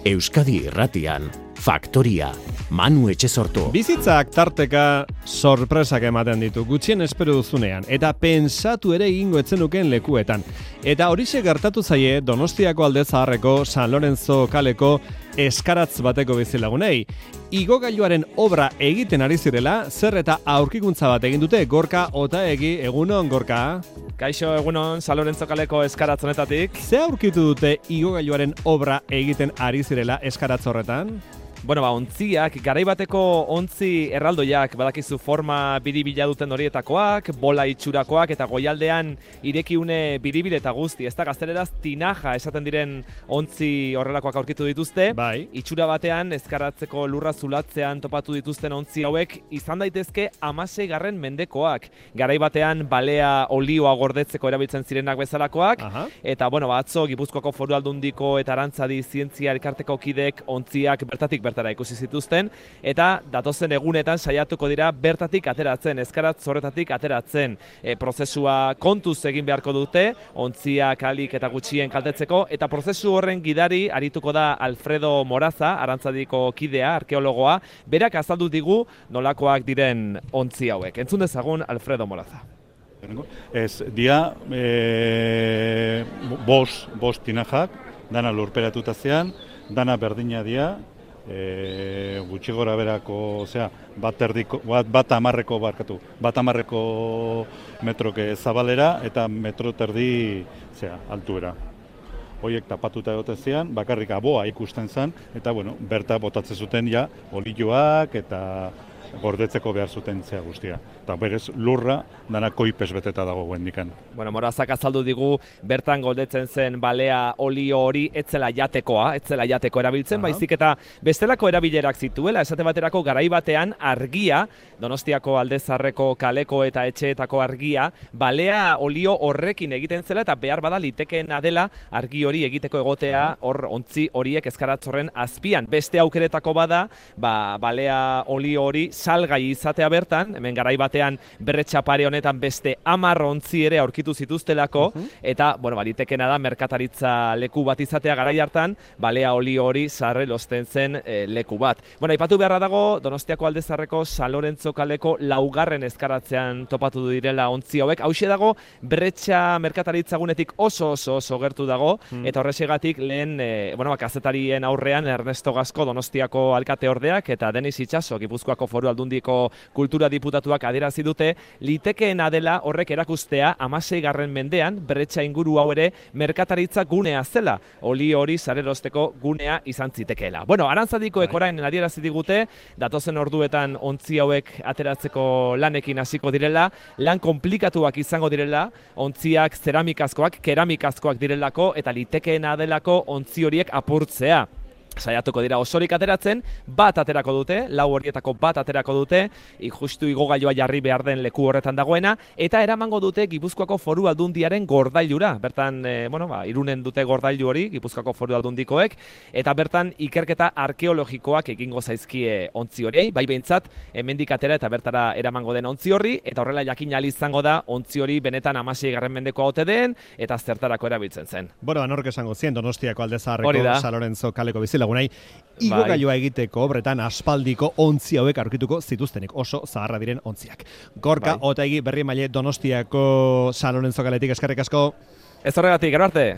Euskadi Irratian, Faktoria, Manu Etxesortu. Bizitzak tarteka sorpresak ematen ditu, gutxien espero duzunean, eta pensatu ere egingo etzenuken lekuetan. Eta horixe gertatu zaie Donostiako Alde Zaharreko San Lorenzo kaleko eskaratz bateko bizilagunei. Igogailuaren obra egiten ari zirela, zer eta aurkikuntza bat egin dute. Gorka Otaegi, egunon, Gorka? Kaixo, egunon, San Lorenzo kaleko eskaratz honetatik. Ze aurkitu dute igogailuaren obra egiten ari zirela eskaratz horretan? Bueno, ontziak, garaibateko ontzi erraldoiak, badakizu forma biribila duten horietakoak, bola itxurakoak eta goialdean irekiune biribil eta guzti. Ez da gazteleraz tinaja esaten diren ontzi horrelakoak aurkitu dituzte. Bai. Itxura batean, ezkaratzeko lurra zulatzean topatu dituzten ontzi hauek izan daitezke 16. mendekoak. Garaibatean balea olioa gordetzeko erabiltzen zirenak bezalakoak. Aha. Eta, bueno, atzo Gipuzkoako Foru Aldundiko eta Arantzadi Zientzia elkarteko kidek ontziak bertatik bertara ikusi zituzten, eta datozen egunetan saiatuko dira bertatik ateratzen, eskaratz horretatik ateratzen. Prozesua kontuz egin beharko dute, ontziak alik eta gutxien kaltetzeko, eta prozesu horren gidari arituko da Alfredo Moraza, Arantzadiko kidea, arkeologoa, berak azaldu digu nolakoak diren ontzi hauek. Entzun dezagun Alfredo Moraza. Ez, dia bost tinajak, dana lurperatuta zean, dana berdina dia, gutxi gora berako, bat amarreko metroke zabalera eta metro terdi altuera. Hoiek tapatuta egoten zean, bakarrik aboa ikusten zen, eta bueno, berta botatzen zuten ja, olioak eta gordetzeko behar zuten zea guztia. Eta berez lurra dana koipes beteta dago guendikan. Bueno, Morazak azaldu digu bertan goldetzen zen balea olio hori etzela jateko erabiltzen, baizik eta bestelako erabilerak zituela, esate baterako garai batean argia, Donostiako Alde Zaharreko kaleko eta etxeetako argia, balea olio horrekin egiten zela eta behar bada litekeena dela argi hori egiteko egotea hor ontzi horiek eskaratzorren azpian. Beste aukeretako bada, balea olio hori salgai izatea bertan, hemen garai batean berretxapare honetan beste 10 ontzi ere aurkitu zituztelako, eta, bueno, litekena da merkataritza leku bat izatea garai hartan, balea olio hori sarre losten zen leku bat. Bueno, aipatu beharra dago, Donostiako Alde Zaharreko San Lorenzo kaleko 4. eskaratzean topatu direla ontzi hauek. Hauxe dago, berretxa merkataritza gunetik oso gertu dago, eta horrexegatik lehen, kazetarien aurrean Ernesto Gasco Donostiako alkateordeak eta Denis Itxaso Gipuzkoako Foru Aldundiko kultura diputatuak adierazi dute, litekeena dela horrek erakustea 16. mendean berretxa inguru hau ere merkataritza gunea zela, olio hori sarerosteko gunea izan zitekeela. Bueno, Arantzadikoek orain adierazi digute, datozen orduetan ontzi hauek ateratzeko lanekin hasiko direla, lan konplikatuak izango direla, ontziak zeramikazkoak, keramikazkoak direlako, eta litekeena delako ontzi horiek apurtzea. Saiatuko dira osorik ateratzen, bat aterako dute, 4 horietako bat aterako dute, justu igogailua jarri behar den leku horretan dagoena, eta eramango dute Gipuzkoako Foru Aldundiaren gordailura. Bertan, Irunen dute gordailu hori, Gipuzkoako Foru Aldundikoek, eta bertan ikerketa arkeologikoak egingo zaizkie ontzi horiei, bai behintzat, hemendik atera eta bertara eramango den ontzi horri, eta horrela jakin ahal izango da ontzi hori benetan 16. mendekoa ote den, eta zertarako erabiltzen zen. Bueno, anork esango zien Donostiako Alde Zaharreko San Lorenzo kaleko bizilagunei igogailua egiteko obretan aspaldiko ontzi hauek aurkituko zituztenik, oso zaharra diren ontziak. Gorka Otaegi Berriemaile Donostiako San Lorenzo kaletik, eskerrik asko. Ez horregatik, gero arte.